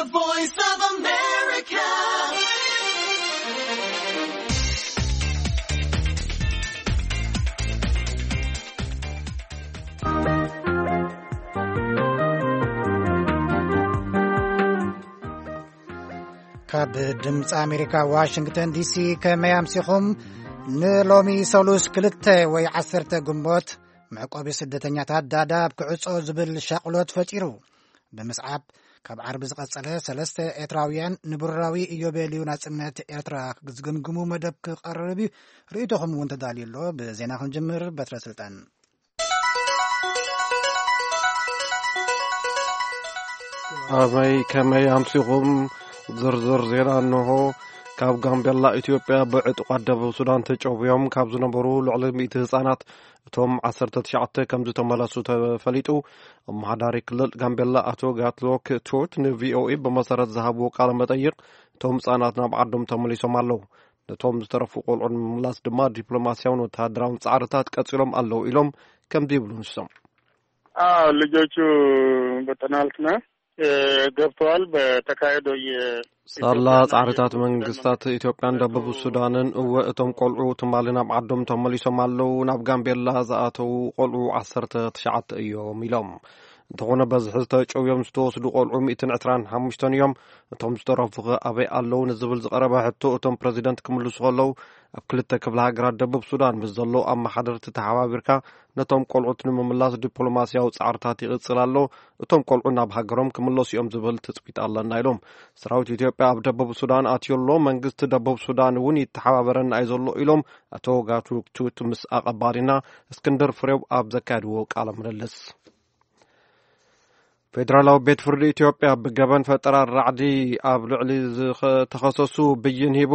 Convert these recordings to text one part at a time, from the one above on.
Voice of America. ካብ ድምፂ ኣሜሪካ ዋሽንግተን ዲሲ፣ ከመይ ኣምሲኹም? ንሎሚ ሰሉስ ክልተ ወይ ዓሰርተ ግንቦት፣ መዕቆቢ ስደተኛታት ዳዳብ ክዕጾ ዝብል ሻቕሎት ፈጢሩ። ብምስዓብ፣ ካብ ዓርቢ ዝቐጸለ፣ ሰለስተ ኤርትራውያን ንብሩራዊ ኢዮቤልዩ ናጽነት ኤርትራ ዝግምግሙ መደብ ክቐርብ እዩ። ርእይቶኹም እውን ተዳልዩ ኣሎ። ብዜና ክንጅምር፣ በትረ ስልጣን። ኣበይ ከመይ ኣምሲኹም? ዝርዝር ዜና እንሆ። ካብ ጋምቤላ ኢትዮጵያ ብዕጡቓት ደቡብ ሱዳን ተጨውዮም ካብ ዝነበሩ ልዕሊ ሚእቲ ህጻናት፣ እቶም ዓሰርተ ትሽዓተ ከም ዝተመለሱ ተፈሊጡ። ኣመሓዳሪ ክልል ጋምቤላ ኣቶ ጋትሎክ ቱት ንቪኦኤ ብመሰረት ዝሃብዎ ቃለ መጠይቕ፣ እቶም ህጻናት ናብ ዓዶም ተመሊሶም ኣለዉ። ነቶም ዝተረፉ ቆልዑ ንምምላስ ድማ ዲፕሎማስያውን ወተሃደራውን ጻዕርታት ቀጺሎም ኣለዉ ኢሎም ከምዚ ይብሉ ንሶም። አዎ፣ ልጆቹ በጠናልትና፣ እ፣ ገብተዋል። በተካሄደው የ- ሳላ ኢትዮጵያና ጻዕርታት የሱዳን መንግስታት ኢትዮጵያን ደቡብ ሱዳንን፣ እወ፣ እቶም ቆልዑ ትማሊ ናብ ዓዶም ተመሊሶም ኣለዉ። ናብ ጋምቤላ ዝኣተዉ ቆልዑ ዓሰርተ ትሽዓተ እዮም ኢሎም። እንተኾነ፣ በዝሒ ዝተጨውዮም ዝተወስዱ ቆልዑ ሚእትን ዕስራን ሓሙሽተን እዮም። እቶም ዝተረፉ ኸ ኣበይ ኣለዉ ንዝብል ዝቐረበ ሕቶ፣ እቶም ፕረዚደንት ክምልሱ ከለዉ፣ ኣብ ክልተ ክፍለ ሃገራት ደቡብ ሱዳን ምስ ዘለዉ ኣመሓደርቲ ተሓባቢርካ ነቶም ቆልዑት ንምምላስ ዲፕሎማስያዊ ጻዕርታት ይቕጽል ኣሎ። እቶም ቆልዑ ናብ ሃገሮም ክምለሱ እዮም ዝብል ትጽቢት ኣለና ኢሎም። ሰራዊት ኢትዮጵያ ኣብ ደቡብ ሱዳን ኣትዩ ኣሎ። መንግስቲ ደቡብ ሱዳን እውን ይተሓባበረና እዩ ዘሎ ኢሎም ኣቶ ጋትሉክ ቱት ምስ ኣቐባሊና እስክንድር ፍሬው ኣብ ዘካየድዎ ቃለ ምልልስ። ፌደራላዊ ቤት ፍርዲ ኢትዮጵያ ብገበን ፈጠራ ራዕዲ ኣብ ልዕሊ ዝተኸሰሱ ብይን ሂቡ።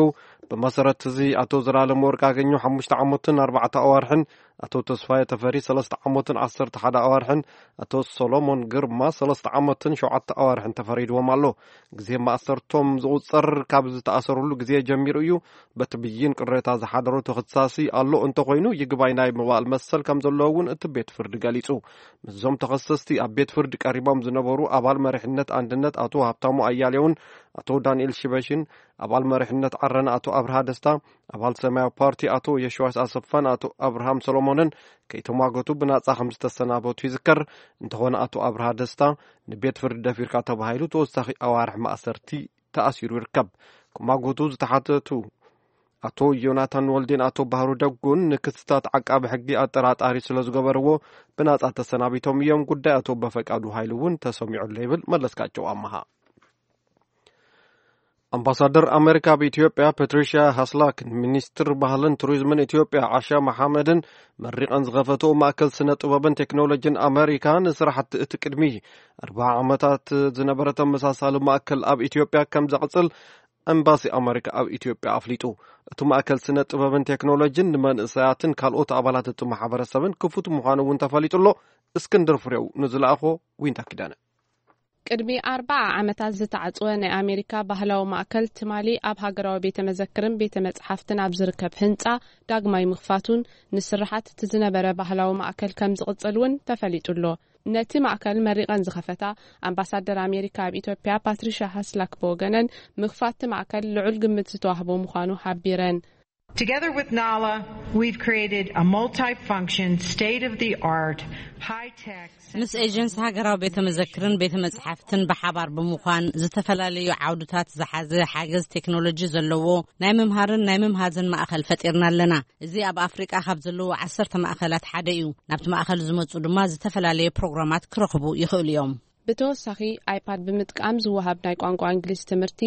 ብመሰረት እዚ፣ ኣቶ ዘላለም ወርቅ ኣገኘው ሓሙሽተ ዓመትን ኣርባዕተ ኣዋርሕን፣ ኣቶ ተስፋዬ ተፈሪ ሰለስተ ዓመትን ዓሰርተ ሓደ ኣዋርሕን፣ ኣቶ ሰሎሞን ግርማ ሰለስተ ዓመትን ሸውዓተ ኣዋርሕን ተፈሪድዎም ኣሎ። ግዜ ማእሰርቶም ዝቑጸር ካብ ዝተኣሰሩሉ ግዜ ጀሚሩ እዩ። በቲ ብይን ቅሬታ ዝሓደሮ ተኸሳሲ ኣሎ እንተኾይኑ፣ ይግባይ ናይ ምባል መሰል ከም ዘለዎ እውን እቲ ቤት ፍርዲ ገሊጹ። ምስዞም ተኸሰስቲ ኣብ ቤት ፍርዲ ቀሪቦም ዝነበሩ ኣባል መሪሕነት ኣንድነት ኣቶ ሃብታሙ ኣያሌውን ኣቶ ዳንኤል ሽበሽን፣ ኣባል መሪሕነት ዓረና ኣቶ ኣብርሃ ደስታ፣ ኣባል ሰማያዊ ፓርቲ ኣቶ የሽዋስ ኣሰፋን ኣቶ ኣብርሃም ሰሎሞንን ከይተሟገቱ ብናጻ ከም ዝተሰናበቱ ይዝከር። እንተኾነ፣ ኣቶ ኣብርሃ ደስታ ንቤት ፍርዲ ደፊርካ ተባሂሉ ተወሳኺ ኣዋርሕ ማእሰርቲ ተኣሲሩ ይርከብ። ክማጎቱ ዝተሓተቱ ኣቶ ዮናታን ወልዴን ኣቶ ባህሩ ደጉን ንክስታት ዓቃቢ ሕጊ ኣጠራጣሪ ስለ ዝገበርዎ ብናጻ ተሰናቢቶም እዮም። ጉዳይ ኣቶ በፈቃዱ ሃይሉ እውን ተሰሚዑ ኣሎ ይብል መለስካቸው ኣመሃ። ኣምባሳደር ኣሜሪካ ኣብ ኢትዮጵያ ፓትሪሻ ሃስላክን ሚኒስትር ባህልን ቱሪዝምን ኢትዮጵያ ዓሻ መሓመድን መሪቐን ዝኸፈትኦ ማእከል ስነ ጥበብን ቴክኖሎጂን ኣሜሪካ፣ ንስራሕቲ እቲ ቅድሚ ኣርባዓ ዓመታት ዝነበረ ተመሳሳሊ ማእከል ኣብ ኢትዮጵያ ከም ዘቕጽል ኤምባሲ ኣሜሪካ ኣብ ኢትዮጵያ ኣፍሊጡ። እቲ ማእከል ስነ ጥበብን ቴክኖሎጂን ንመንእሰያትን ካልኦት ኣባላት እቲ ማሕበረሰብን ክፉት ምዃኑ እውን ተፈሊጡ ኣሎ። እስክንድር ፍሬው ንዝለኣኾ ዊንታ ኪዳነ። ቅድሚ ኣርባዓ ዓመታት ዝተዓጽወ ናይ ኣሜሪካ ባህላዊ ማእከል፣ ትማሊ ኣብ ሃገራዊ ቤተ መዘክርን ቤተ መጽሓፍትን ኣብ ዝርከብ ህንጻ ዳግማይ ምኽፋቱን፣ ንስርሓት እቲ ዝነበረ ባህላዊ ማእከል ከም ዝቕጽል እውን ተፈሊጡ ኣሎ። ነቲ ማእከል መሪቐን ዝኸፈታ ኣምባሳደር ኣሜሪካ ኣብ ኢትዮጵያ ፓትሪሻ ሃስላክ ብወገነን፣ ምኽፋት እቲ ማእከል ልዑል ግምት ዝተዋህቦ ምዃኑ ሓቢረን። Together with NALA, we've created a multifunction, state-of-the-art, high-tech ምስ ኤጀንሲ ሃገራዊ ቤተ መዘክርን ቤተ መጻሕፍትን ብሓባር ብምዃን፣ ዝተፈላለዩ ዓውድታት ዝሓዘ ሓገዝ ቴክኖሎጂ ዘለዎ ናይ ምምሃርን ናይ ምምሃዝን ማእኸል ፈጢርና ኣለና። እዚ ኣብ ኣፍሪቃ ካብ ዘለዉ ዓሰርተ ማእኸላት ሓደ እዩ። ናብቲ ማእኸል ዝመጹ ድማ ዝተፈላለየ ፕሮግራማት ክረኽቡ ይኽእሉ እዮም። ብተወሳኺ፣ ኣይፓድ ብምጥቃም ዝወሃብ ናይ ቋንቋ እንግሊዝ ትምህርቲ፣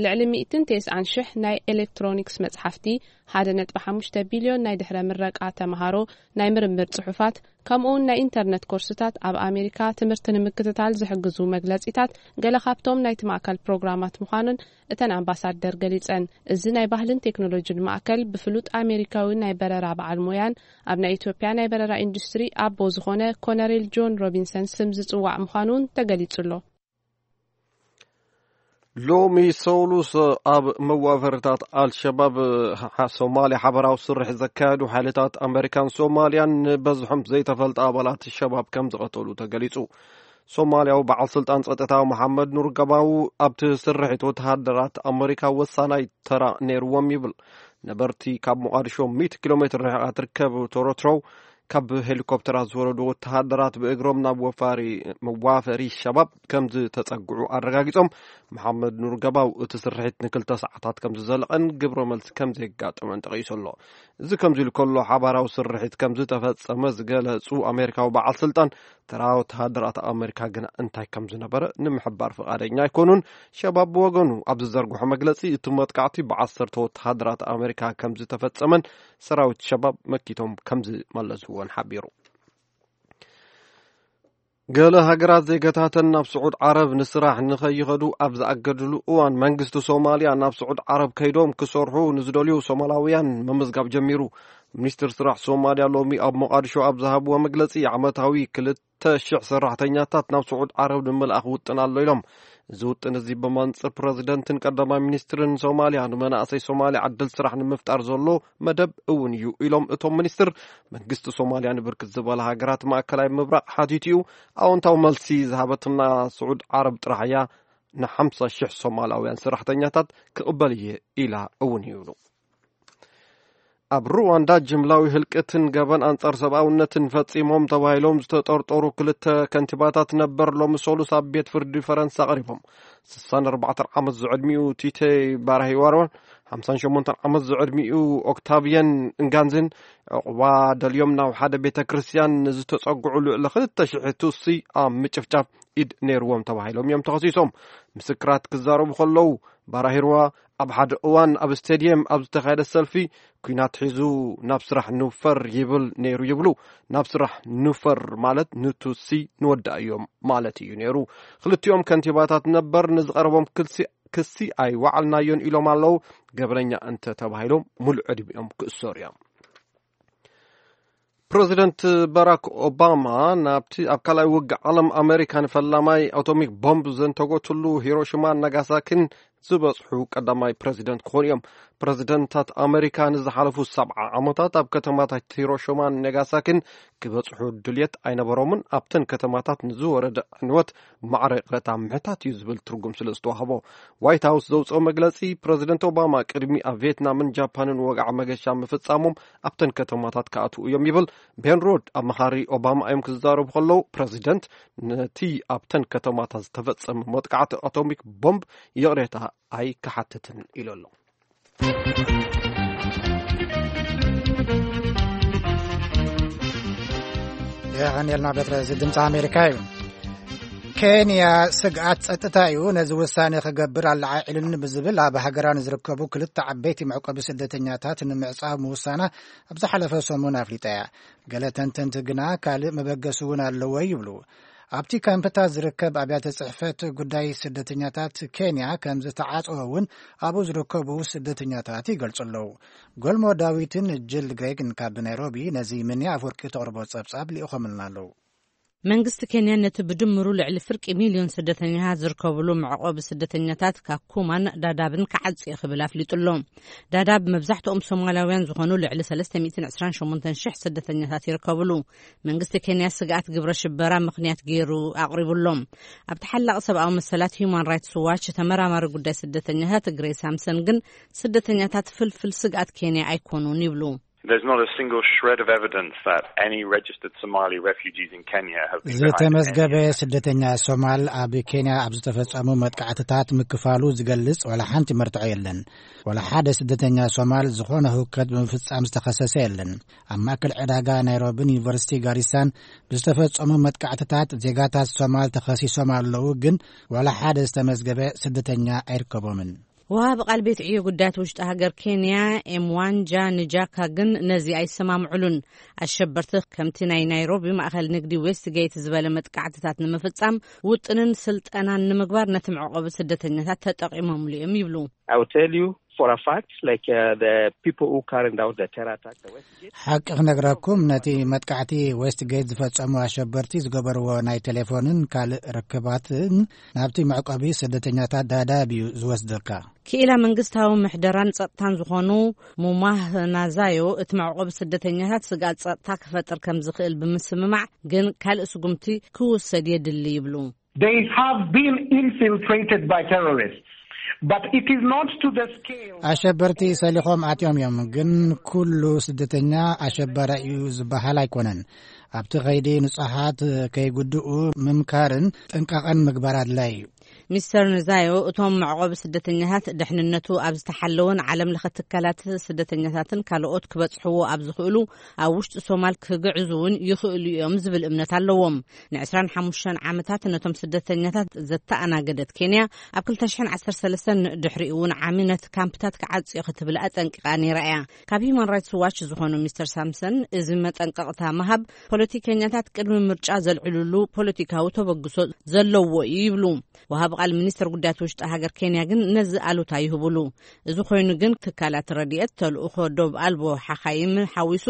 ልዕሊ ሚእትን ተስዓን ሽሕ ናይ ኤሌክትሮኒክስ መጽሓፍቲ፣ ሓደ ነጥቢ ሓሙሽተ ቢልዮን ናይ ድሕረ ምረቃ ተመሃሮ፣ ናይ ምርምር ጽሑፋት፣ ከምኡውን ናይ ኢንተርነት ኮርስታት፣ ኣብ ኣሜሪካ ትምህርቲ ንምክትታል ዝሕግዙ መግለጺታት፣ ገለ ካብቶም ናይቲ ማእከል ፕሮግራማት ምዃኑን እተን ኣምባሳደር ገሊጸን። እዚ ናይ ባህልን ቴክኖሎጂን ማእከል፣ ብፍሉጥ ኣሜሪካዊ ናይ በረራ በዓል ሞያን ኣብ ናይ ኢትዮጵያ ናይ በረራ ኢንዱስትሪ ኣቦ ዝኾነ ኮነሬል ጆን ሮቢንሰን ስም ዝጽዋዕ ምዃኑ እውን ተገሊጹ ኣሎ። ሎሚ ሰሉስ ኣብ መዋፈርታት ኣልሸባብ፣ ሓ-፣ ሶማልያ ሓበራዊ ስርሕ ዘካየዱ ሓይልታት ኣመሪካን ሶማልያን ንበዝሖም ዘይተፈልጠ ኣባላት ሸባብ ከም ዝቐተሉ ተገሊጹ። ሶማልያዊ በዓል ስልጣን ጸጥታ መሓመድ ኑር ገባው ኣብቲ ስርሒት ወተሃደራት ኣመሪካ ወሳናይ ተራ ነይርዎም ይብል። ነበርቲ ካብ ሞቓዲሾ ሚእቲ ኪሎ ሜትር ርሒቓ ትርከብ ቶሮትሮው ካብ ሄሊኮፕተራት ዝወረዱ ወተሃደራት ብእግሮም ናብ ወፋሪ መዋፈሪ ሸባብ ከም ዝተጸግዑ ኣረጋጊጾም። መሓመድ ኑር ገባው እቲ ስርሒት ንክልተ ሰዓታት ከም ዝዘለቐን ግብረ መልሲ ከም ዘየጋጠመን ጠቒሱ ኣሎ። እዚ ከምዚ ኢሉ ከሎ ሓባራዊ ስርሒት ከም ዝተፈጸመ ዝገለጹ ኣሜሪካዊ በዓል ስልጣን ተራ ወተሃደራት ኣመሪካ ግና እንታይ ከም ዝነበረ ንምሕባር ፍቓደኛ ኣይኮኑን። ሸባብ ብወገኑ ኣብ ዝዘርግሖ መግለጺ እቲ መጥቃዕቲ ብዓሰርተ ወተሃደራት ኣመሪካ ከም ዝተፈጸመን ሰራዊት ሸባብ መኪቶም ከም ዝመለስዎን ሓቢሩ። ገለ ሃገራት ዜጋታተን ናብ ስዑድ ዓረብ ንስራሕ ንኸይኸዱ ኣብ ዝኣገድሉ እዋን መንግስቲ ሶማልያ ናብ ስዑድ ዓረብ ከይዶም ክሰርሑ ንዝደልዩ ሶማላውያን ምምዝጋብ ጀሚሩ። ሚኒስትር ስራሕ ሶማልያ ሎሚ ኣብ ሞቓዲሾ ኣብ ዝሃብዎ መግለጺ ዓመታዊ ክልተ ሽሕ ሰራሕተኛታት ናብ ስዑድ ዓረብ ንምልኣኽ ውጥን ኣሎ ኢሎም። እዚ ውጥን እዚ ብመንጽር ፕረዚደንትን ቀዳማይ ሚኒስትርን ሶማልያ ንመናእሰይ ሶማልያ ዕድል ስራሕ ንምፍጣር ዘሎ መደብ እውን እዩ ኢሎም እቶም ሚኒስትር። መንግስቲ ሶማልያ ንብርክት ዝበላ ሃገራት ማእከላይ ምብራቕ ሓቲቱ እዩ። ኣወንታዊ መልሲ ዝሃበትና ስዑድ ዓረብ ጥራሕ እያ ንሓምሳ ሽሕ ሶማላውያን ሰራሕተኛታት ክቕበል እየ ኢላ እውን ይብሉ። ኣብ ሩዋንዳ ጅምላዊ ህልቅትን ገበን ኣንጻር ሰብኣውነትን ፈጺሞም ተባሂሎም ዝተጠርጠሩ ክልተ ከንቲባታት ነበር ሎሚ ሰሉስ ኣብ ቤት ፍርዲ ፈረንሳ ቀሪቦም። ስሳን ኣርባዕተን ዓመት ዝዕድሚኡ ቲቴ ባራሂዋሮን ሓምሳን ሸሞንተን ዓመት ዝዕድሚኡ ኦክታቪየን እንጋንዝን ዕቑባ ደልዮም ናብ ሓደ ቤተ ክርስቲያን ንዝተጸግዑ ልዕሊ ክልተ ሽሕ ቱሲ ኣብ ምጭፍጫፍ ኢድ ነይርዎም ተባሂሎም እዮም ተኸሲሶም። ምስክራት ክዛረቡ ከለዉ ባራሂርዋ ኣብ ሓደ እዋን ኣብ ስቴድየም ኣብ ዝተኻየደ ሰልፊ ኲናት ሒዙ ናብ ስራሕ ንውፈር ይብል ነይሩ ይብሉ። ናብ ስራሕ ንውፈር ማለት ንቱሲ ንወዳእ እዮም ማለት እዩ ነይሩ። ክልቲኦም ከንቲባታት ነበር ንዝቐረቦም ክልሲ ክሲ ኣይወዓልናዮን ኢሎም ኣለዉ። ገበነኛ እንተ ተባሂሎም ሙሉእ ዕድሚኦም ክእሰሩ እዮም። ፕረዚደንት ባራክ ኦባማ ናብቲ ኣብ ካልኣይ ውግእ ዓለም ኣሜሪካ ንፈላማይ ኣቶሚክ ቦምብ ዘንተጎትሉ ሂሮሽማን ናጋሳኪን ዝበጽሑ ቀዳማይ ፕረዚደንት ክኾኑ እዮም። ፕረዚደንታት ኣሜሪካ ንዝሓለፉ ሰብዓ ዓመታት ኣብ ከተማታት ሂሮሽማን ናጋሳኪን ክበጽሑ ድልየት ኣይነበሮምን። ኣብተን ከተማታት ንዝወረደ ዕንወት ማዕረ ይቕረታ ምሕታት እዩ ዝብል ትርጉም ስለ ዝተዋህቦ፣ ዋይት ሃውስ ዘውፅኦ መግለፂ፣ ፕረዚደንት ኦባማ ቅድሚ ኣብ ቪየትናምን ጃፓንን ወግዓ መገሻ ምፍፃሞም ኣብተን ከተማታት ክኣትዉ እዮም ይብል። ቤን ሮድ ኣማኻሪ ኦባማ እዮም ክዛረቡ ከለዉ፣ ፕረዚደንት ነቲ ኣብተን ከተማታት ዝተፈፀመ መጥቃዕቲ ኣቶሚክ ቦምብ ይቕሬታ ኣይክሓትትን ኢሉ ኣሎ። የቐንየልና ቤት እዚ ድምፂ ኣሜሪካ እዩ። ኬንያ ስግኣት ጸጥታ እዩ ነዚ ውሳኔ ክገብር ኣለዓዒሉኒ ብዝብል ኣብ ሃገራ ንዝርከቡ ክልተ ዓበይቲ መዕቆቢ ስደተኛታት ንምዕጻው ምውሳና ኣብ ዝሓለፈ ሰሙን ኣፍሊጣ እያ። ገለ ተንተንቲ ግና ካልእ መበገሲ እውን ኣለዎ ይብሉ። ኣብቲ ካምፕታት ዝርከብ ኣብያተ ጽሕፈት ጉዳይ ስደተኛታት ኬንያ ከም ዝተዓጸወ እውን ኣብኡ ዝርከቡ ስደተኛታት ይገልጹ ኣለዉ። ጎልሞ ዳዊትን ጅል ግሬግን ካብ ናይሮቢ ነዚ ምንያ ኣፍወርቂ ተቕርቦ ጸብጻብ ልኢኾምልና ኣለዉ። መንግስቲ ኬንያ ነቲ ብድምሩ ልዕሊ ፍርቂ ሚልዮን ስደተኛታት ዝርከብሉ መዕቆቢ ስደተኛታት ካኩማን ዳዳብን ክዓጽ ክብል ኣፍሊጡ ኣሎ። ዳዳብ መብዛሕትኦም ሶማላውያን ዝኾኑ ልዕሊ ሰለስተ ሚእትን ዕስራን ሸሞንተን ሽሕ ስደተኛታት ይርከብሉ። መንግስቲ ኬንያ ስግኣት ግብረ ሽበራ ምኽንያት ገይሩ ኣቕሪቡሎም። ኣብ ተሓላቒ ሰብኣዊ መሰላት ሂዩማን ራይትስ ዋች ተመራማሪ ጉዳይ ስደተኛታት ግሬ ሳምሰን ግን ስደተኛታት ፍልፍል ስግኣት ኬንያ ኣይኮኑን ይብሉ። There's not a single shred of evidence that any registered Somali refugees in Kenya have been behind any ዝተመዝገበ ስደተኛ ሶማል ኣብ ኬንያ ኣብ ዝተፈጸሙ መጥቃዕትታት ምክፋሉ ዝገልጽ ዋላ ሓንቲ መርትዖ የለን። ዋላ ሓደ ስደተኛ ሶማል ዝኾነ ህውከት ብምፍጻም ዝተኸሰሰ የለን። ኣብ ማእከል ዕዳጋ ናይሮብን ዩኒቨርሲቲ ጋሪሳን ብዝተፈጸሙ መጥቃዕትታት ዜጋታት ሶማል ተኸሲሶም ኣለዉ፣ ግን ዋላ ሓደ ዝተመዝገበ ስደተኛ ኣይርከቦምን። ወሃቢ ቃል ቤት ዕዮ ጉዳያት ውሽጢ ሃገር ኬንያ ኤምዋንጃ ንጃካ ግን ነዚ ኣይሰማምዕሉን። ኣሸበርቲ ከምቲ ናይ ናይሮቢ ማእኸል ንግዲ ዌስትጌት ዝበለ መጥቃዕትታት ንምፍጻም ውጥንን ስልጠናን ንምግባር ነቲ መዕቆቢ ስደተኛታት ተጠቒሞምሉ እዮም ይብሉ። I will tell you, for a fact, like, uh, the people who carried out the terror attack, the Westgate. ሓቂ ክነግረኩም፣ ነቲ መጥቃዕቲ ዌስትጌት ዝፈጸሙ ኣሸበርቲ ዝገበርዎ ናይ ቴሌፎንን ካልእ ርክባትን ናብቲ መዕቆቢ ስደተኛታት ዳዳብ እዩ ዝወስደካ። ክኢላ መንግስታዊ ምሕደራን ጸጥታን ዝኾኑ ሙማህ ናዛዮ፣ እቲ መዕቆቢ ስደተኛታት ስግኣት ጸጥታ ክፈጥር ከም ዝኽእል ብምስምማዕ፣ ግን ካልእ ስጉምቲ ክውሰድ የድሊ ይብሉ። They have been infiltrated by terrorists, but it is not to the scale. ኣሸበርቲ ሰሊኾም ኣትዮም እዮም፣ ግን ኩሉ ስደተኛ ኣሸባሪ እዩ ዝበሃል ኣይኮነን። ኣብቲ ኸይዲ ንጹሃት ከይጉድኡ ምምካርን ጥንቃቐን ምግባር ኣድላይ እዩ። ሚስተር ንዛዮ፣ እቶም መዕቆቢ ስደተኛታት ደሕንነቱ ኣብ ዝተሓለወን ዓለም ለኸ ትካላት ስደተኛታትን ካልኦት ክበጽሕዎ ኣብ ዝኽእሉ ኣብ ውሽጢ ሶማል ክግዕዙ እውን ይኽእሉ እዮም ዝብል እምነት ኣለዎም። ን25 ዓመታት ነቶም ስደተኛታት ዘተኣናገደት ኬንያ፣ ኣብ ክልተ ሽሕን ዓሰርተ ሰለስተን ድሕሪኡ እውን ዓሚ ነቲ ካምፕታት ክዓጽዮ ክትብል ኣጠንቂቓ ነይራ እያ። ካብ ሂዩማን ራይትስ ዋች ዝኾኑ ሚስተር ሳምሰን፣ እዚ መጠንቀቕታ ምሃብ ፖለቲከኛታት ቅድሚ ምርጫ ዘልዕልሉ ፖለቲካዊ ተበግሶ ዘለዎ እዩ ይብሉ። ወሃቢ ቃል ሚኒስተር ጉዳያት ውሽጢ ሃገር ኬንያ ግን ነዚ ኣሉታ ይህብሉ። እዚ ኮይኑ ግን ትካላት ረድኤት፣ ተልእኾ ዶብ ኣልቦ ሓኻይም ሓዊሱ፣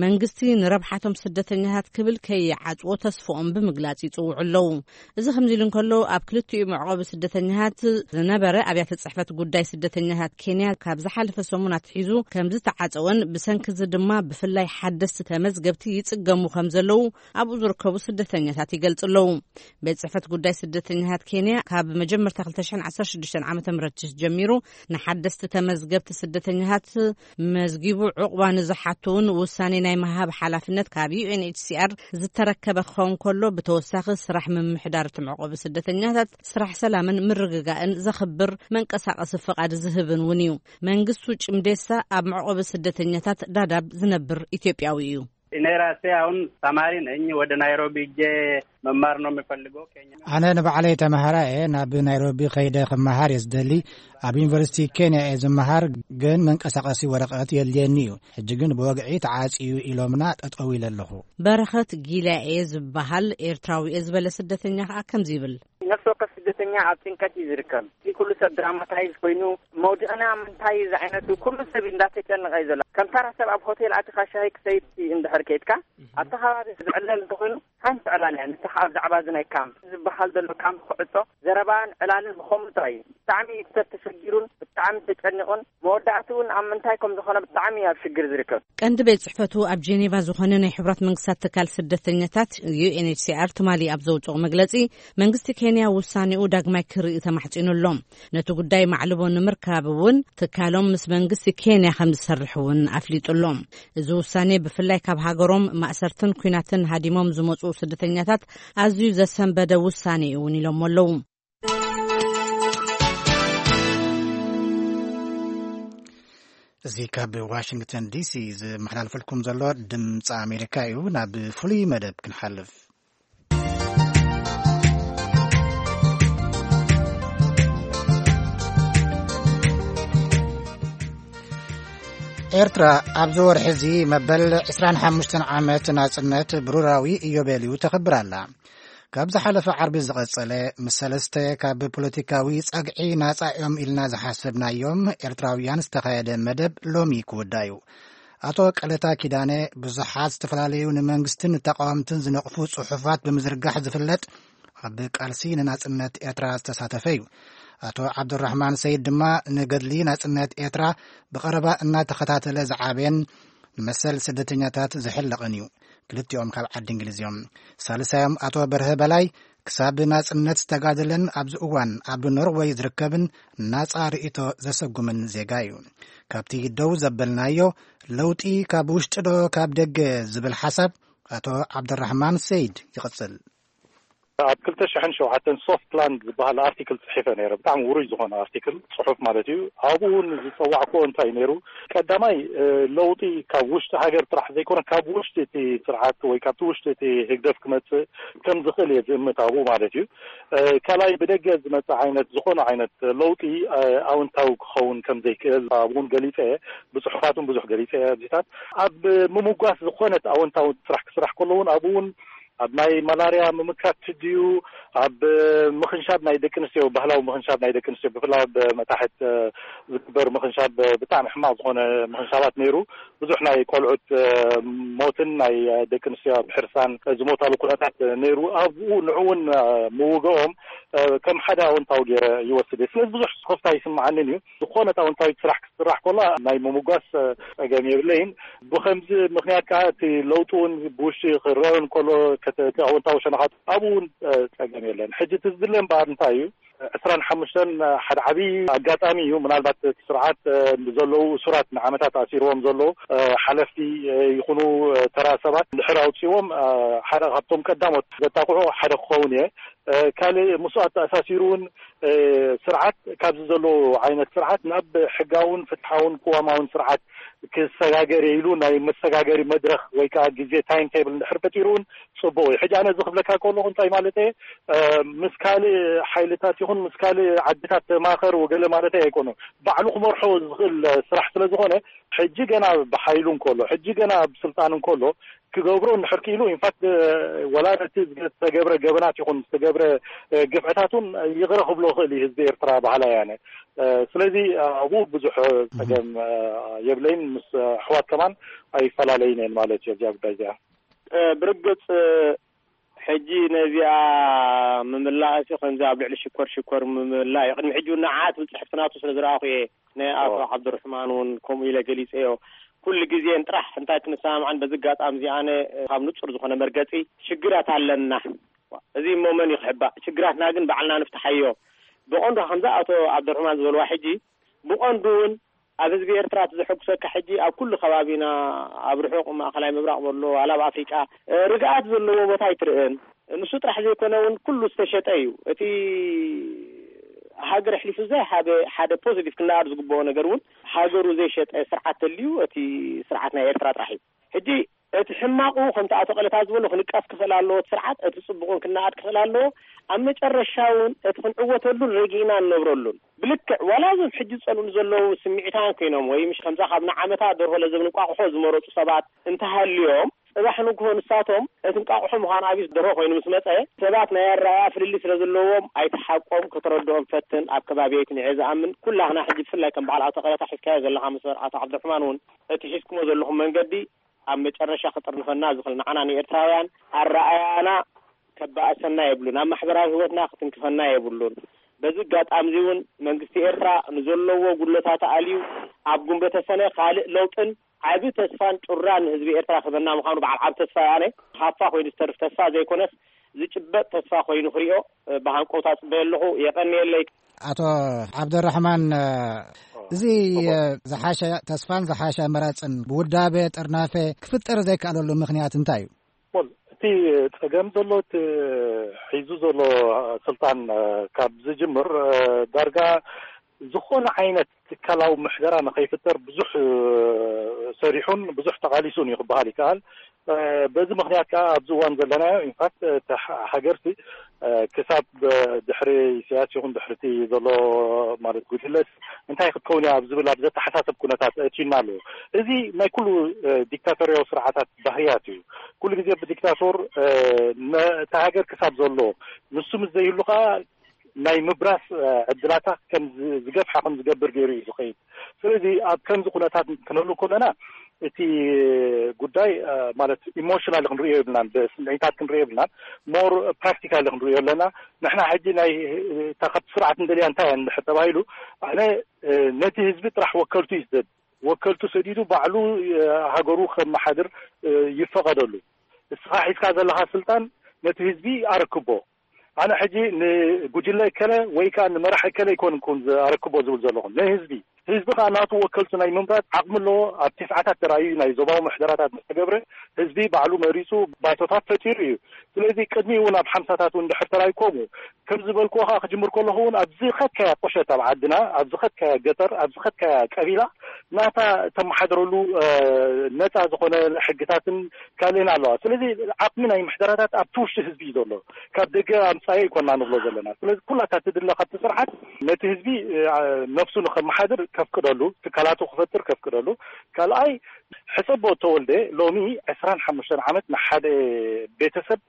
መንግስቲ ንረብሓቶም ስደተኛታት ክብል ከይዓጽዎ ተስፍኦም ብምግላጽ ይጽውዑ ኣለዉ። እዚ ከምዚ ኢሉ እንከሎ፣ ኣብ ክልቲኡ መዕቆቢ ስደተኛታት ዝነበረ ኣብያተ ጽሕፈት ጉዳይ ስደተኛታት ኬንያ ካብ ዝሓለፈ ሰሙን ኣትሒዙ ከም ዝተዓጸወን ብሰንኪ እዚ ድማ ብፍላይ ሓደስቲ ተመዝገብቲ ይጽገሙ ከም ዘለዉ ኣብኡ ዝርከቡ ስደተኛታት ይገልጹ ኣለዉ። ቤት ጽሕፈት ጉዳይ ስደተኛታት ኬንያ ካብ መጀመርታ ክልተ ሽሕን ዓሰርተ ሽዱሽተን ዓመተ ምህረት ጀሚሩ ንሓደስቲ ተመዝገብቲ ስደተኛታት መዝጊቡ ዕቑባ ንዝሓቱ እውን ውሳኔ ናይ ምሃብ ሓላፍነት ካብ ዩ ኤን ኤች ሲ ኣር ዝተረከበ ክኸውን ከሎ፣ ብተወሳኺ ስራሕ ምምሕዳር እቲ መዕቆቢ ስደተኛታት፣ ስራሕ ሰላምን ምርግጋእን ዘኽብር መንቀሳቐሲ ፍቓድ ዝህብን እውን እዩ። መንግስቱ ጭምዴሳ ኣብ መዕቆቢ ስደተኛታት ዳዳብ ዝነብር ኢትዮጵያዊ እዩ። እኔ ራሴ አሁን ተማሪ ነኝ። ወደ ናይሮቢ ሄጄ መማር ነው የምፈልገው። ኬንያ። ኣነ ንባዕለይ ተማሃራይ እየ። ናብ ናይሮቢ ከይደ ክመሃር እየ ዝደሊ። ኣብ ዩኒቨርሲቲ ኬንያ እየ ዝመሃር፣ ግን መንቀሳቐሲ ወረቐት የድልየኒ እዩ። ሕጂ ግን ብወግዒ ተዓጽዩ ኢሎምና ጠጠው ኢለ ኣለኹ። በረኸት ጊላ እየ ዝበሃል ኤርትራዊ እየ ዝበለ ስደተኛ ከኣ ከምዚ ይብል። ነፍሲ ወከፍ ስደተኛ ኣብ ጭንቀት እዩ ዝርከብ። እዚ ኩሉ ሰብ ድራማታይዝ ኮይኑ፣ መውድቕና ምንታይ እዩ ዝዓይነቱ ኩሉ ሰብ እዩ እንዳተጨነቐ እዩ ዘሎ። ከም ተራ ሰብ ኣብ ሆቴል ኣቲኻ ሻሂ ክሰይድ እንድሕር ከይድካ፣ ኣብቲ ከባቢ ዝዕለል እንተኾይኑ፣ ሓንቲ ዕላል እያ። ንስኻ ኣብ ዛዕባ እዚ ናይ ካምፕ ዝበሃል ዘሎ ካምፕ ክዕጾ፣ ዘረባን ዕላልን ብኸምኡ ጥራይ እዩ። ብጣዕሚ እዩ ሰብ ተሸጊሩን ብጣዕሚ ተጨኒቑን፣ መወዳእቲ እውን ኣብ ምንታይ ከም ዝኾነ ብጣዕሚ እዩ ኣብ ሽግር ዝርከብ። ቀንዲ ቤት ጽሕፈቱ ኣብ ጄኔቫ ዝኾነ ናይ ሕቡራት መንግስታት ትካል ስደተኛታት፣ ዩ ኤን ኤች ሲ ኣር፣ ትማሊ ኣብ ዘውጽኦ መግለጺ፣ መንግስቲ ኬንያ ውሳኔኡ ዳግማይ ክርኢ ተማሕጺኑ ኣሎ። ነቲ ጉዳይ ማዕልቦ ንምርካብ እውን ትካሎም ምስ መንግስቲ ኬንያ ከም ዝሰርሕ እውን ኣፍሊጡ ኣሎ። እዚ ውሳኔ ብፍላይ ካብ ሃገሮም ማእሰርትን ኲናትን ሃዲሞም ዝመጹ ስደተኛታት ኣዝዩ ዘሰንበደ ውሳኔ እዩ እውን ኢሎሞ ኣለዉ። እዚ ካብ ዋሽንግተን ዲ ሲ ዝመሓላልፈልኩም ዘሎ ድምፂ ኣሜሪካ እዩ። ናብ ፍሉይ መደብ ክንሓልፍ። ኤርትራ ኣብዚ ወርሒ እዚ መበል ዕስራን ሓሙሽተን ዓመት ናጽነት ብሩራዊ ኢዮቤልዩ ተኽብር ኣላ። ካብ ዝሓለፈ ዓርቢ ዝቐጸለ፣ ምስ ሰለስተ ካብ ፖለቲካዊ ጸግዒ ናጻ እዮም ኢልና ዝሓሰብናዮም ኤርትራውያን ዝተኻየደ መደብ ሎሚ ክውዳእ እዩ። ኣቶ ቀለታ ኪዳነ፣ ብዙሓት ዝተፈላለዩ ንመንግስትን ንተቃወምትን ዝነቕፉ ጽሑፋት ብምዝርጋሕ ዝፍለጥ፣ ኣብ ቃልሲ ንናጽነት ኤርትራ ዝተሳተፈ እዩ። ኣቶ ዓብዱራሕማን ሰይድ ድማ ንገድሊ ናጽነት ኤርትራ ብቐረባ እናተኸታተለ ዝዓበየን ንመሰል ስደተኛታት ዝሕለቕን እዩ። ክልቲኦም ካብ ዓዲ እንግሊዝ እዮም። ሳልሳዮም ኣቶ በርሀ በላይ ክሳብ ናጽነት ዝተጋደለን ኣብዚ እዋን ኣብ ኖርወይ ዝርከብን ናጻ ርእይቶ ዘሰጉምን ዜጋ እዩ። ካብቲ ደው ዘበልናዮ ለውጢ ካብ ውሽጢ ዶ ካብ ደገ ዝብል ሓሳብ ኣቶ ዓብደራሕማን ሰይድ ይቕጽል። ኣብ ክልተ ሽሕን ሸውዓተን ሶፍት ላንድ ዝበሃል ኣርቲክል ጽሒፈ ነይረ። ብጣዕሚ ውሩይ ዝኾነ ኣርቲክል፣ ጽሑፍ ማለት እዩ። ኣብኡ እውን ዝጸዋዕኩዎ እንታይ ነይሩ? ቀዳማይ፣ እ፣ ለውጢ ካብ ውሽጢ ሃገር ጥራሕ ዘይኮነ፣ ካብ ውሽጢ እቲ ስርዓት ወይ ካብቲ ውሽጢ እቲ ህግደፍ ክመጽእ ከም ዝኽእል እየ ዝእምት ኣብኡ ማለት እዩ። እ፣ ካልኣይ፣ ብደገ ዝመጽእ ዓይነት ዝኾነ ዓይነት ለውጢ፣ እ፣ ኣወንታዊ ክኸውን ከም ዘይክእል ኣብኡ እውን ገሊጸ እየ። ብጽሑፋት እውን ብዙሕ ገሊጸ እየ። ኣብዚታት ኣብ ምምጓስ ዝኾነት ኣወንታዊ ስራሕ ክስራሕ ከሎ እውን ኣብኡ እውን ኣብ ናይ ማላርያ ምምካት ድዩ፣ ኣብ ምኽንሻብ ናይ ደቂ ኣንስትዮ፣ ባህላዊ ምኽንሻብ ናይ ደቂ ኣንስትዮ፣ ብፍላይ ኣብ መታሕት ዝግበር ምኽንሻብ፣ ብጣዕሚ ሕማቕ ዝኾነ ምኽንሻባት ነይሩ። ብዙሕ ናይ ቆልዑት ሞትን ናይ ደቂ ኣንስትዮ ኣብ ሕርሳን ዝሞታሉ ኩነታት ነይሩ። ኣብኡ ንዕኡ እውን ምውገኦም ከም ሓደ ኣወንታዊ ገይረ ይወስድ እየ። ስለዚ ብዙሕ ስኸፍታ ይስምዓንን እዩ። ዝኾነት ኣወንታዊት ስራሕ ክትስራሕ ከላ ናይ ምምጓስ ጸገም የብለይን። ብኸምዚ ምኽንያት ከዓ እቲ ለውጢ እውን ብውሽጢ ክረአ እንከሎ፣ ከተ-፣ እቲ ኣወንታዊ ሸነኻት ኣብኡ እውን ጸገም የለን። ሕጂ እቲ ዝድለ እምበኣር እንታይ እዩ? ዕስራን ሓሙሽተን ሓደ ዓብዪ ኣጋጣሚ እዩ። ምናልባት እቲ ስርዓት፣ እ፣ ንዘለዉ እሱራት፣ ንዓመታት ኣሲርዎም ዘለዉ፣ እ፣ ሓለፍቲ፣ እ፣ ይኹኑ፣ እ፣ ተራ ሰባት እንድሕር ኣውፅዎም፣ እ፣ ሓደ ካብቶም ቀዳሞት ዘጣቕዑ ሓደ ክኸውን እየ። እ፣ ካልእ ምስኡ ኣተኣሳሲሩ እውን፣ እ፣ ስርዓት ካብዚ ዘለዎ ዓይነት ስርዓት ናብ ሕጋውን ፍትሓውን ቅዋማውን ስርዓት ክሰጋገር ኢሉ ናይ መሰጋገሪ መድረኽ ወይ ከዓ ግዜ ታይም ቴብል እንድሕር ፈጢሩ እውን ጽቡቕ እዩ። ሕጂ ኣነ እዚ ክብለካ ከለኹ እንታይ ማለት እየ? እ፣ ምስ ካልእ ሓይልታት ይኹን ምስ ካልእ ዓድታት ተማኸር ወገለ ማለት ኣይኮነ። ባዕሉ ክመርሖ ዝኽእል ስራሕ ስለ ዝኾነ፣ ሕጂ ገና ብሓይሉ እንከሎ፣ ሕጂ ገና ኣብ ስልጣን እንከሎ፣ ክገብሮ እንድሕር ክኢሉ፣ ኢንፋክት፣ እ፣ ወላ ነቲ ዝተገብረ ገበናት ይኹን ዝተገብረ፣ እ፣ ግፍዕታት እውን ይቕረ ክብሎ ይኽእል እዩ ህዝቢ ኤርትራ በሃላይ ኣነ። እ፣ ስለዚ ኣብኡ ብዙሕ ጸገም፣ እ፣ የብለይን። ምስ ኣሕዋት ከማን ኣይፈላለይን እየን ማለት እዩ ኣብዚኣ ጉዳይ እዚኣ። እ፣ ብርግጽ፣ እ፣ ሕጂ ነዚኣ ምምላእሲ ከምዚ ኣብ ልዕሊ ሽኮር ሽኮር ምምላእ እዩ። ቅድሚ ሕጂ እውን ንዓት ብጽሕፍቲ ናቱ ስለ ዝረኣኹ እየ። ናይ ኣቶ ዓብዱርሕማን እውን ከምኡ ኢለ ገሊጸዮ። ኩሉ ግዜ ጥራሕ እንታይ ክንሰማማዕን በዚ ኣጋጣሚ እዚ ኣነ ካብ ንጹር ዝኾነ መርገጺ ሽግራት ኣለና። እዚ እሞ መን እዩ ክሕባእ? ሽግራትና ግን ባዕልና ንፍትሓዮ። ብቐንዱ ከምዛ ኣቶ ዓብዱርሕማን ዝበልዋ ሕጂ ብቐንዱ እውን ኣብ ህዝቢ ኤርትራ እቲ ዘሐጉሰካ ሕጂ ኣብ ኩሉ ከባቢና ኣብ ርሑቕ ማእኸላይ ምብራቕ በሎ ዋላ ኣብ ኣፍሪቃ፣ እ፣ ርግኣት ዘለዎ ቦታ ኣይትርእን። ንሱ ጥራሕ ዘይኮነ እውን ኩሉ ዝተሸጠ እዩ። እቲ ሃገር ኣሕሊፉ ዘይሃበ ሓደ ፖዚቲቭ ክነኣር ዝግብኦ ነገር እውን ሃገሩ ዘይሸጠ ስርዓት ተልዩ እቲ ስርዓት ናይ ኤርትራ ጥራሕ እዩ። ሕጂ እቲ ሕማቑ ከምቲ ኣቶ ቀለታ ዝበሎ ክንቃስ ክኽእል ኣለዎ እቲ ስርዓት፣ እቲ ጽቡቕ እውን ክነኣድ ክኽእል ኣለዎ። ኣብ መጨረሻ እውን እቲ ክንዕወተሉን ረጊእና ንነብረሉን ብልክዕ ዋላ እዞም ሕጂ ዝጸልኡኒ ዘለዉ ስምዒታውያን ኮይኖም ወይ ምሽ ከምዛ ካብ ንዓመታ ደርሆ ለዘብ እንቋቑሖ ዝመረጹ ሰባት እንተሃልዮም ጽባሕ ንግሆ ንሳቶም እቲ እንቋቑሖ ምዃኑ ኣብዩ ደርሆ ኮይኑ ምስ መጸ ሰባት ናይ ኣረኣእያ ፍልልይ ስለ ዘለዎም ኣይትሓቆም፣ ከተረድኦም ፈትን። ኣብ ከባቢየይ እቲ ንዕየ ዝኣምን ኩላህና ሕጂ ብፍላይ ከም በዓል ኣቶ ቀለታ ሒዝካዮ ዘለኻ መስመር ኣቶ ዓብዱርሕማን እውን እቲ ሒዝኩሞ ዘለኹም መንገዲ ኣብ መጨረሻ ክጥርንፈና ዝኽእል ንዓና ንኤርትራውያን ኣረኣያና ከባእሰና የብሉን፣ ኣብ ማሕበራዊ ህይወትና ክትንክፈና የብሉን። በዚ ኣጋጣሚ እዚ እውን መንግስቲ ኤርትራ ንዘለዎ ጉድለታት ኣልዩ ኣብ ጉንበተ ሰነ ካልእ ለውጥን ዓቢ ተስፋን ጩራ ንህዝቢ ኤርትራ ክህበና ምዃኑ በዓል ዓቢ ተስፋ እየ ኣነ። ሃፋ ኮይኑ ዝተርፍ ተስፋ ዘይኮነስ ዝጭበጥ ተስፋ ኮይኑ ክሪኦ ብሃንቀውታ ጽበየ ኣለኹ። የቐንየለይ። ኣቶ ዓብደራሕማን፣ እዚ ዝሓሸ ተስፋን ዝሓሸ ኣመራጽን ብውዳበ ጥርናፈ ክፍጠር ዘይከኣለሉ ምኽንያት እንታይ እዩ? ወል፣ እቲ ጸገም ዘሎ እቲ ሒዙ ዘሎ ስልጣን፣ እ፣ ካብ ዝጅምር፣ እ፣ ዳርጋ ዝኾነ ዓይነት ትካላዊ ምሕደራ ንኸይፍጠር ብዙሕ፣ እ፣ ሰሪሑን ብዙሕ ተቓሊሱን እዩ ክበሃል ይከኣል። እ፣ በዚ ምኽንያት ከኣ ኣብዚ እዋን ዘለናዮ ኢንፋክት፣ እ፣ እቲ ሓ-፣ ሃገርቲ፣ እ፣ ክሳብ፣ እ፣ ድሕሪ ኢሳያስ ይኹን ድሕሪ እቲ ዘሎ ማለት ጉጅለስ እንታይ ክትከውን እያ ኣብ ዝብል ኣብ ዘተሓሳስብ ኩነታት ኣእትዩና ኣለዎ። እዚ ናይ ኩሉ፣ እ፣ ዲክታቶርያዊ ስርዓታት ባህርያት እዩ። ኩሉ ግዜ ብዲክታቶር፣ እ፣ ነ-፣ እታ ሃገር ክሳብ ዘሎ ንሱ ምስ ዘይህሉ ከኣ ናይ ምብራስ፣ እ፣ ዕድላታ ከም ዝ-፣ ዝገፍሓ ከም ዝገብር ገይሩ እዩ ዝኸይድ። ስለዚ ኣብ ከምዚ ኩነታት ክንህሉ ከለና እቲ ጉዳይ፣ እ፣ ማለት ኢሞሽናል ክንርእዮ የብልናን፣ ብስምዒታት ክንርእዮ የብልናን። ሞር ፕራክቲካሊ ክንርእዮ ኣለና። ንሕና ሕጂ ናይ፣ እታ ካብቲ ስርዓት እንደልያ እንታይ እያ እንድሕር ተባሂሉ፣ ኣነ፣ እ፣ ነቲ ህዝቢ ጥራሕ ወከልቱ እዩ ዝደሊ። ወከልቱ ሰዲዱ ባዕሉ፣ እ፣ ሃገሩ ከመሓድር፣ እ፣ ይፈቐደሉ። እስኻ ሒዝካ ዘለኻ ስልጣን ነቲ ህዝቢ ኣረክቦ። ኣነ ሕጂ ንጉጅለ እከለ ወይ ከኣ ንመራሕ እከለ ኣይኮንኩን ኣረክቦ ዝብል ዘለኹ፣ ንህዝቢ። ህዝቢ ከኣ ናቱ ወከልቱ ናይ ምምራጽ ዓቕሚ ኣለዎ። ኣብ ትስዓታት ተራእዩ ናይ ዞባዊ ምሕደራታት ምስ ተገብረ ህዝቢ ባዕሉ መሪጹ ባይቶታት ፈጢሩ እዩ። ስለዚ ቅድሚ እውን ኣብ ሓምሳታት እውን ድሕር ተራእዩ ከምኡ። ከም ዝበልክዎ ከኣ ክጅምር ከለኹ እውን ኣብ ዝኸድካያ ቁሸት ኣብ ዓድና፣ ኣብ ዝኸድካያ ገጠር፣ ኣብ ዝኸድካያ ቀቢላ ናታ ተመሓደረሉ፣ እ፣ ነጻ ዝኾነ ሕግታትን ካልእን ኣለዋ። ስለዚ ዓቕሚ ናይ ምሕደራታት ኣብቲ ውሽጢ ህዝቢ እዩ ዘሎ። ካብ ደገ ኣምጻዮ ኣይኮና ንብሎ ዘለና። ስለዚ ኩላታ ትድለ ካብቲ ስርዓት ነቲ ህዝቢ፣ እ፣ ነፍሱ ንኸመሓድር ከፍቅደሉ፣ ትካላቱ ክፈጥር ከፍቅደሉ። ካልኣይ ሕሰቦ ተወልደ ሎሚ ዕስራን ሓሙሽተን ዓመት ንሓደ ቤተሰብ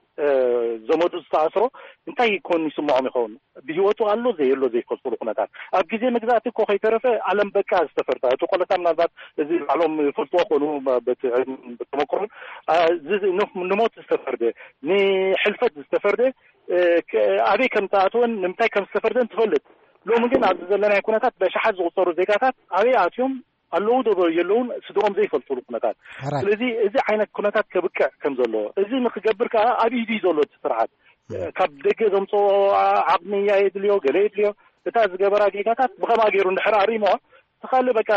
ዘመዱ ዝተኣስሮ እንታይ ይኮን ይስምዖም ይኸውን? ብህይወቱ ኣሎ ዘየሎ ዘይፈልጥሉ ኩነታት፣ ኣብ ግዜ መግዛእቲ እኮ ከይተረፈ ኣለም በቃ ዝተፈርዳ እቲ ቆለታ ምናልባት እዚ ባዕሎም ይፈልጥዎ ኮኑ በቲ ተመክሮን ንሞት ዝተፈርደ፣ ንሕልፈት ዝተፈርደ ኣበይ ከም ተኣትወን ንምንታይ ከም ዝተፈርደን ትፈልጥ። ሎሚ ግን ኣብዚ ዘለናይ ኩነታት በሽሓት ዝቁፀሩ ዜጋታት ኣበይ ኣትዮም ኣለዉ ዶ የለውን ስድኦም ዘይፈልጥሉ ኩነታት። ስለዚ እዚ ዓይነት ኩነታት ከብቅዕ ከም ዘለዎ፣ እዚ ንክገብር ከዓ ኣብ ኢዱ እዩ ዘሎ እቲ ስርዓት። ካብ ደገ ዘምፅኦ ዓቕሚ የድልዮ፣ ገለ የድልዮ። እታ ዝገበራ ጌጋታት ብኸምኣ ገይሩ እንድሕር ኣሪሞ፣ ተኻሊ በቃ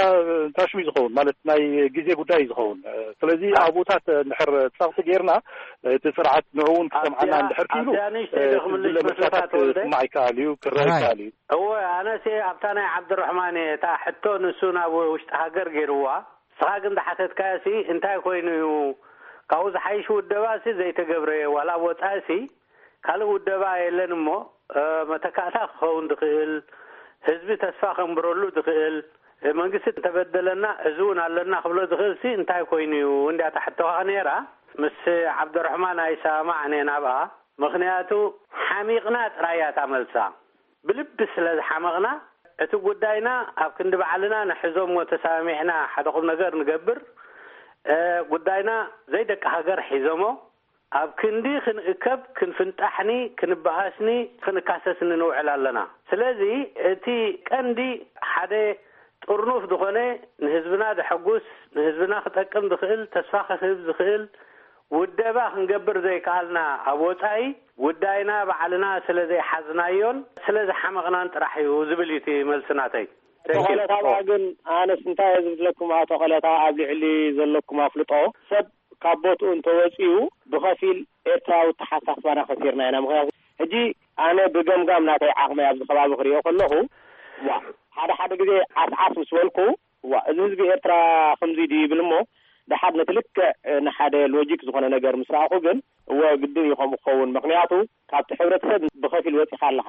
ታሽሚ ዝኸውን ማለት ናይ ግዜ ጉዳይ እዩ ዝኸውን። ስለዚ ኣብኡታት እንድሕር ፀቕጢ ጌርና እቲ ስርዓት ንዕውን ክሰምዓና እንድሕር ክኢሉ፣ ኣብዚኣ ንእሽተይ ደኽምልሽ ዝለ መስለካ ምርጫታት ተወልደ? ክስማዕ ይከኣል እዩ፣ ክረአ ይከኣል እዩ። እወ፣ ኣነሲ ኣብታ ናይ ዓብድራሕማን እየ፣ እታ ሕቶ ንሱ ናብ ውሽጢ ሃገር ገይርዋ። ንስኻ ግን ዝሓተትካዮሲ እንታይ ኮይኑ እዩ? ካብኡ ዝሓይሽ ውደባሲ ዘይተገብረ፣ ዋላ ኣብ ወጻኢሲ ካልእ ውደባ የለን እሞ፣ መተካእታ ክኸውን ዝኽእል፣ ህዝቢ ተስፋ ከንብረሉ ዝኽእል፣ መንግስቲ እንተበደለና እዚ እውን ኣለና ክብሎ ዝኽእልሲ እንታይ ኮይኑ እዩ? እንድያ እታ ሕቶኻ ነይራ። ምስ ዓብደረሕማን ኣይሰማማዕን እየ ናብኣ። ምኽንያቱ ሓሚቕና ጥራይ እያ እታ መልሳ። ብልቢ ስለ ዝሓመቕና፣ እቲ ጉዳይና ኣብ ክንዲ ባዕልና ንሕዞ እሞ ተሰማሚዕና ሓደ ቁም ነገር ንገብር። እ፣ ጉዳይና ዘይደቂ ሃገር ሒዞሞ ኣብ ክንዲ ክንእከብ፣ ክንፍንጣሕኒ፣ ክንበኣስኒ፣ ክንካሰስኒ ንውዕል ኣለና። ስለዚ እቲ ቀንዲ ሓደ ጥርኑፍ ዝኾነ ንህዝብና ዘሐጉስ፣ ንህዝብና ክጠቅም ዝኽእል፣ ተስፋ ክህብ ዝኽእል ውደባ ክንገብር ዘይከኣልና ኣብ ወጻኢ፣ ጉዳይና ባዕልና ስለ ዘይሓዝናዮን ስለ ዝሓመቕናን ጥራሕ እዩ ዝብል እዩ እቲ መልሲ ናተይ። ተንኪዩ። ቆለታ ግን ኣነስ እንታይ እየ ዝብለኩም፣ ኣቶ ቆለታ ኣብ ልዕሊ ዘለኩም ኣፍልጦ፣ ሰብ ካብ ቦትኡ እንተወጺኡ ብኸፊል ኤርትራዊ ተሓሳስባና ከሲርና ኢና። ምኽንያቱ ሕጂ ኣነ ብገምጋም ናተይ ዓቕሚ ኣብዚ ከባቢ ክሪኦ ከለኹ፣ ዋ፣ ሓደ ሓደ ግዜ ዓስዓስ ምስ በልኩ፣ ዋ፣ እዚ ህዝቢ ኤርትራ ከምዚ ድዩ ይብል እሞ፣ ደሓር ነቲ ልክዕ ንሓደ ሎጂክ ዝኾነ ነገር ምስ ረኣኹ ግን፣ እወ፣ ግድን እዩ ከምኡ ክኸውን። ምኽንያቱ ካብቲ ሕብረተሰብ ብኸፊል ወጺኻ ኣለኻ።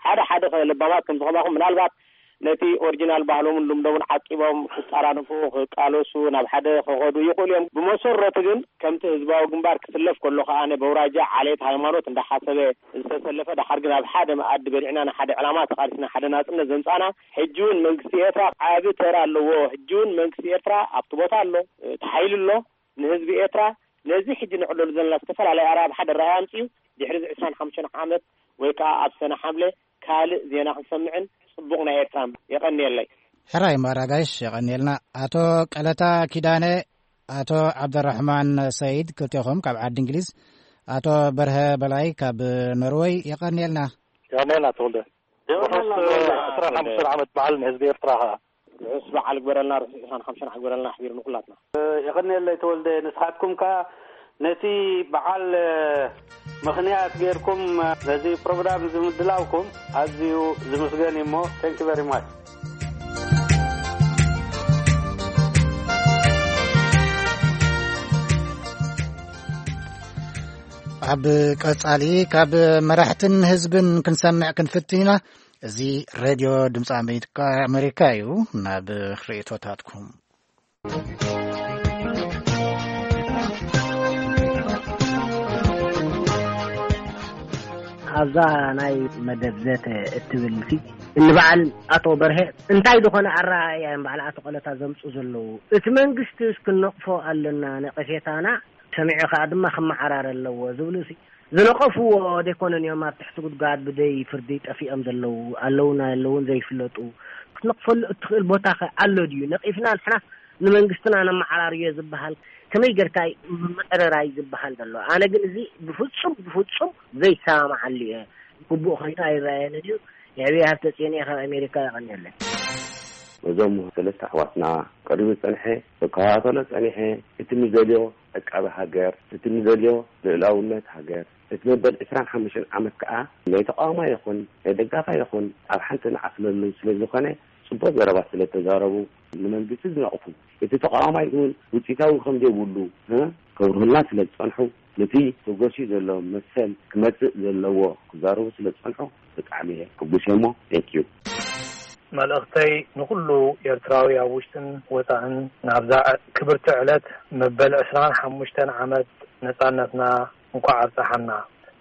ሓደ ሓደ ከ ለባማት ከም ዝኸማኹም ምናልባት ነቲ ኦሪጂናል ባህሎምን ልምዶምን ዓቂቦም ክጠራነፉ፣ ክቃለሱ፣ ናብ ሓደ ክኸዱ ይኽእሉ እዮም። ብመሰረቱ ግን ከምቲ ህዝባዊ ግንባር ክስለፍ ከሎ ከኣ ኣነ በውራጃ፣ ዓሌት፣ ሃይማኖት እንዳሓሰበ ዝተሰለፈ፣ ደሓር ግን ኣብ ሓደ መኣዲ በሊዕና ንሓደ ዕላማ ተቓሊስና ሓደ ናጽነት ዘምጻና፣ ሕጂ እውን መንግስቲ ኤርትራ ዓቢ ተራ ኣለዎ። ሕጂ እውን መንግስቲ ኤርትራ ኣብቲ ቦታ ኣሎ፣ እቲ ሓይሊ ኣሎ። ንህዝቢ ኤርትራ ነዚ ሕጂ ንዕለሉ ዘለና ዝተፈላለየ ኣራያ ብሓደ ራእይ ኣምጺኡ ድሕሪ እዚ ዕስራን ሓሙሽተን ዓመት ወይ ከኣ ኣብ ሰነ ሓምለ ካልእ ዜና ክንሰምዕን ጽቡቕ ናይ ኤርትራ። የቐንየለይ። ሕራይ እሞ ኣራጋይሽ የቐንየልና። ኣቶ ቀለታ ኪዳነ፣ ኣቶ ዓብደራሕማን ሰይድ ክልቴኹም ካብ ዓዲ እንግሊዝ፣ ኣቶ በርሀ በላይ ካብ ኖርወይ የቐንየልና። የቐንየልና ተወልደ። የቐንየልና ብርሑስ ተወልደ። ዕስራን ሓሙሽተን ዓመት በዓል ንህዝቢ ኤርትራ ኸኣ። ርሑስ በዓል ግበረልና፣ ርሑስ ዕስራን ሓሙሽተን ግበረልና ኣሕቢሩ ንኹላትና። የቐንየለይ ተወልደ፣ ንስኻትኩም ከኣ ነቲ በዓል ምኽንያት ጌርኩም ነዚ ፕሮግራም እዚ ምድላውኩም ኣዝዩ ዝምስገን እዩ እሞ፣ thank you very much። ኣብ ቀጻሊ ካብ መራሕትን ህዝብን ክንሰምዕ ክንፍትን ኢና። እዚ ሬድዮ ድምፂ ኣሜሪካ፣ ኣሜሪካ እዩ። ናብ ርእይቶታትኩም። ኣብዛ ናይ መደብ ዘተ እትብል ሲ፣ ንበዓል ኣቶ በርሀ እንታይ ዝኾነ ኣረኣእያ እዮም በዓል ኣቶ ቀለታ ዘምፁ ዘለዉ? እቲ መንግስቲ ክንነቕፎ ኣለና፣ ነቐፌታና ሰሚዑ ከኣ ድማ ክመዓራረ ኣለዎ ዝብሉ ሲ፣ ዝነቐፍዎ ደይኮነን እዮም ኣብ ትሕቲ ጉድጓድ ብደይ ፍርዲ ጠፊኦም ዘለዉ፣ ኣለዉን ኣየለዉን ዘይፍለጡ። ክትነቕፈሉ እትኽእል ቦታኸ ኣሎ ድዩ? ነቒፍና ንሕና ንመንግስትና ነመዓራርዮ ዝበሃል ከመይ ጌርካ እዩ ምምዕርራይ ዝበሃል ዘሎ? ኣነ ግን እዚ ብፍጹም፣ ብፍጹም ዘይሰማማዓሉ እየ። ግቡእ ኮይኑ ኣይረኣየንን እዩ። የዕብየ ሃብተጽዮን እየ ካብ ኣሜሪካ፣ የቐንየለይ። ነዞም ሰለስተ ኣሕዋትና ቅድሚ ዝጸንሐ፣ ክከታተሎ ጸኒሐ፣ እቲ ንደልዮ ዕቃበ ሃገር፣ እቲ ንደልዮ ልኡላውነት ሃገር፣ እቲ መበል ዕስራን ሓሙሽተን ዓመት ከኣ ናይ ተቃዋማይ ይኹን ናይ ደጋፋይ ይኹን ኣብ ሓንቲ ንዓስለሉ ስለ ዝኾነ፣ ጽቡቕ ዘረባ ስለ ተዛረቡ፣ ንመንግስቲ ዝነቕፉ፣ እቲ ተቃዋማይ እውን ውጽኢታዊ ከም ዘይብሉ፣ እ፣ ከብርሁልና ስለ ዝጸንሑ፣ ነቲ ተጎስዩ ዘሎ መሰል ክመጽእ ዘለዎ ክዛረቡ ስለ ዝጸንሑ፣ ብጣዕሚ እየ ሕጉስ እየ እሞ፣ thank you። መልእኽተይ ንኹሉ ኤርትራዊ ኣብ ውሽጥን ወጻእን ናብዛ ክብርቲ ዕለት መበል ዕስራን ሓሙሽተን ዓመት ነጻነትና እንኳዕ ኣብጽሓና።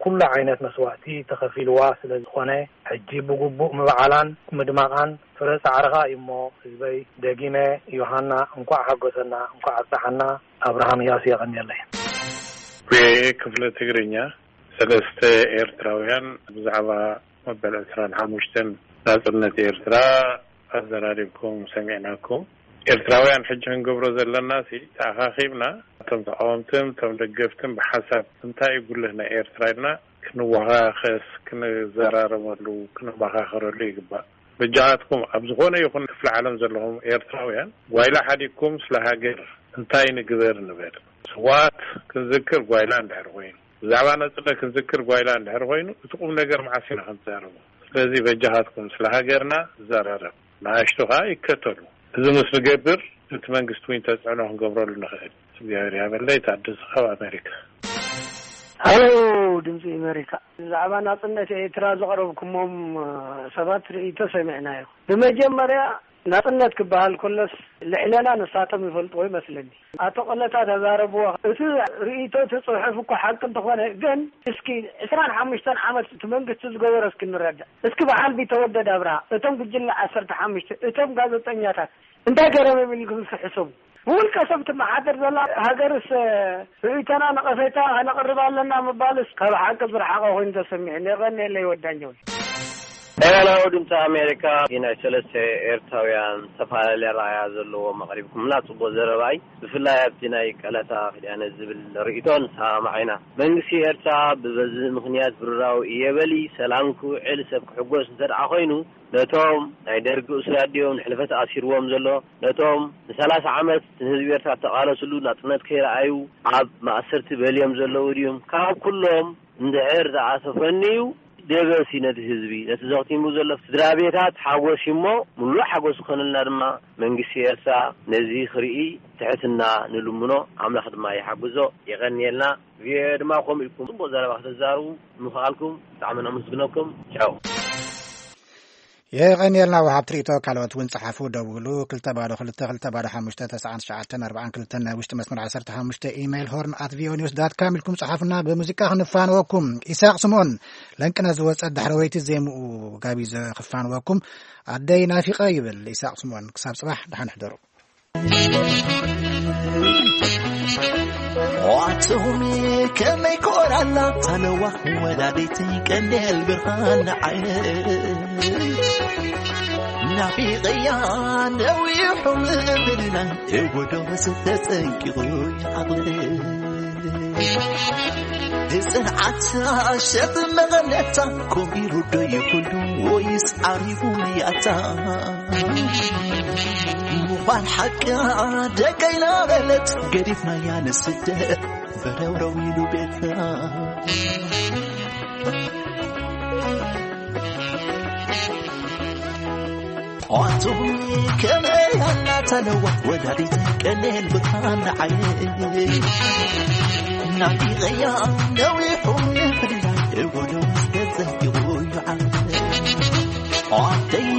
ኩሉ ዓይነት መስዋእቲ ተኸፊልዋ ስለ ዝኾነ፣ ሕጂ ብግቡእ ምብዓላን ምድማቓን ፍረ ጻዕርኻ እዩ እሞ፣ ህዝበይ፣ ደጊመ ዮሃና እንኳዕ ሓጎሰና፣ እንኳዕ ኣብጽሓና። ኣብርሃም ያሱ፣ የቐንየለይ። ቪኦኤ ክፍለ ትግርኛ፣ ሰለስተ ኤርትራውያን ብዛዕባ መበል ዕስራን ሓሙሽተን ናጽነት ኤርትራ ኣዘራሪብኩም ሰሚዕናኩም። ኤርትራውያን ሕጂ ክንገብሮ ዘለናሲ፣ ተኣኻኺብና እቶም ተቃወምትን እቶም ደገፍትን ብሓሳብ እንታይ እዩ ጉልህ ናይ ኤርትራ ኢልና ክንወኻኸስ፣ ክንዘራረበሉ፣ ክንመኻኸረሉ ይግባእ። በጃኻትኩም ኣብ ዝኾነ ይኹን ክፍለ ዓለም ዘለኹም ኤርትራውያን ጓይላ ሓዲግኩም ስለ ሃገር እንታይ ንግበር ንበል። ስዋት ክንዝክር ጓይላ እንድሕር ኮይኑ፣ ብዛዕባ ነጽረ ክንዝክር ጓይላ እንድሕር ኮይኑ፣ እቲ ቁም ነገር መዓስ ኢና ክንዛረቦ? ስለዚ በጃኻትኩም ስለ ሃገርና ዘራረብ፣ ንኣሽቱ ከኣ ይከተሉ። እዚ ምስ ንገብር እቲ መንግስቲ እውን ተጽዕኖ ክንገብረሉ ንኽእል። እግዚኣብሔር ያበለይ። ታደሰ ካብ ኣሜሪካ። ሃሎ፣ ድምፂ ኣሜሪካ። ብዛዕባ ናፅነት ኤርትራ ዘቕረብኩሞም ሰባት ርእይቶ ሰሚዕናዮ። ብመጀመርያ ናጽነት ክበሃል ከሎስ ልዕለና ንሳቶም ይፈልጥዎ ይመስለኒ። ኣቶ ቀለታ ተዛረብዎ። እቲ ርእይቶ እቲ ጽሑፍ እኮ ሓቂ እንተኾነ ግን እስኪ ዕስራን ሓሙሽተን ዓመት እቲ መንግስቲ ዝገበሮ እስኪ ንረዳእ። እስኪ ብዓል ቢተወደድ ኣብርሃ እቶም ጉጅለ ዓሰርተ ሓሙሽተ እቶም ጋዜጠኛታት እንታይ ገረመም ኢልኩም እስኪ ሕሰቡ። ብውልቀ ሰብ ትመሓደር ዘላ ሃገርስ ርእይቶና ነቐፌታ ከነቕርብ ኣለና ምባልስ ካብ ሓቂ ዝረሓቐ ኮይኑ ተሰሚዑ። የቐንየለይ ወዳኛው። ኤላላዊ ድምፂ ኣሜሪካ። ናይ ሰለስተ ኤርትራውያን ዝተፈላለየ ረኣያ ዘለዎም ኣቕሪብኩምና ጽቡቕ ዘረባይ። ብፍላይ ኣብቲ ናይ ቀለታ ክዳነ ዝብል ርእይቶ ንሰማማዕ ኢና። መንግስቲ ኤርትራ ብበዚ ምኽንያት ብርራው እየ በሊ ሰላም ክውዕል ሰብ ክሕጎስ እንተ ደኣ ኮይኑ ነቶም ናይ ደርጊ እሱራት ድዮም ንሕልፈት ኣሲርዎም ዘሎ? ነቶም ንሰላሳ ዓመት ንህዝቢ ኤርትራ ተቓለስሉ ናጽነት ከይረኣዩ ኣብ ማእሰርቲ በልዮም ዘለዉ ድዮም? ካብ ኩሎም እንድሕር ዝኣሰፈኒ እዩ ደበሲ ነቲ ህዝቢ፣ ነቲ ዘኽቲሙ ዘሎ ስድራ ቤታት ሓጎስ እሞ ምሉእ ሓጎስ ክኾነልና ድማ መንግስቲ ኤርትራ ነዚ ክርኢ ትሕትና ንልምኖ፣ ኣምላኽ ድማ ይሓግዞ። የቐንየልና። ቪኦኤ ድማ ከምኡ ኢልኩም ጽቡቕ ዘረባ ክትዛረቡ ምኽኣልኩም ብጣዕሚ ነመስግነኩም። ቻው። የቐንየልና ወሃብቲ ርእይቶ። ካልኦት እውን ጸሓፉ፣ ደውሉ። ክልተ ባዶ ክልተ ክልተ ባዶ ሓሙሽተ ተስዓን ትሽዓተን ኣርባዓን ክልተን ናይ ውሽጢ መስመር ዓሰርተ ሓሙሽተ ኢሜይል ሆርን ኣት ቪኦኤ ኒውስ ዳት ካም ኢልኩም ጸሓፉና። ብሙዚቃ ክንፋንወኩም። ኢሳቕ ስምኦን፣ ለንቅነ ዝወጸት ዳሕረወይቲ ዜምኡ ጋቢዘ ክፋንወኩም። ኣደይ ናፊቐ ይብል ኢሳቕ ስምኦን። ክሳብ ጽባሕ ደሓን ሕደሩ። ዋትሁሚ ከመይ ኮራላ ተለዋ ወላዲት ቀንዴል ብርሃን ዓይነ ናፊቐያ ነዊሑ ምብልና እጎዶ ዝተጸንቂቑ ይዓቕል። ብጽንዓት ኣሸጥ መቐነታ ኮቢሩ ዶ ይኹሉ ወይስ ዓሪቡ ያታ? ምዃን ሓቂ ደቀይና በለት ገዲፍናያ ንስደት በረውረው ኢሉ ቤትና። ኣቱም ከመይ ኣናተለዋ ወላዲት ቀኔል ብርሃን ዓይነይ ናቢቐያ ነዊሑ ንፍድላይ እወዶ ተዘይቑ ይዓል ኣደይ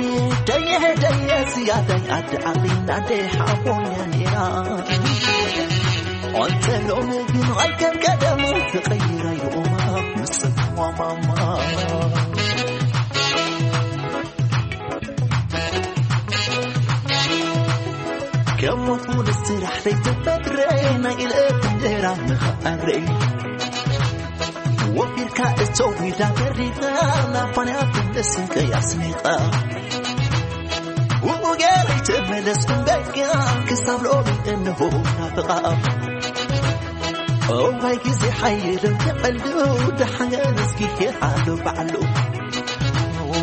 ደየ ደየ ዝያዳይ ኣደ ዓቕሊን ኣደ ሓቦኛ ነይራ ኣንተ ሎሚ ግን ኣይከም ቀደሙ ተቐይራ ይቑማ ምስማማማ ከም ሞት ሙሉእ ስራሕ ዘይተፈጥረ ናይ ኢለት እንጀራ መኸኣረይ ወፊርካ እቶ ዊዳ በሪኻ ናብ ፋንያ ትምለስ እንቀይ ኣስኒቓ ውኡ ገይረይ ተመለስኩም በቃ ክሳብ ሎሚ እንሆ ናፍቓ እዋይ ግዜ ሓይልን ተቐልዱ ደሓን እስኪ ሓሉ ባዕሉ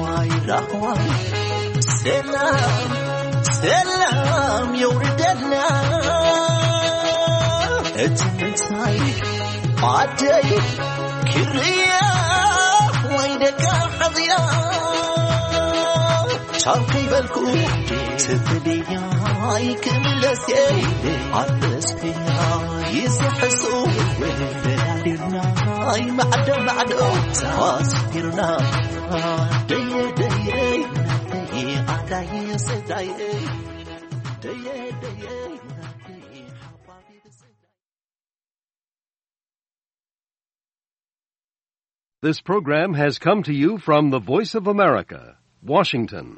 ዋይ ራህዋይ ሰላም ሰላም የውርደልና እቲ ምንታይ ኣደይ ክርያ ወይ ደቃ ሓዚላ ቻው ከይበልኩ ትትልያ ኣይክምለስ ኣበስክያ ይስሕሱ ወደዳድና ኣይ ማዕዶ ማዕዶ ኣስኪርና ደየ ደየ ደየ This program has come to you from the Voice of America, Washington.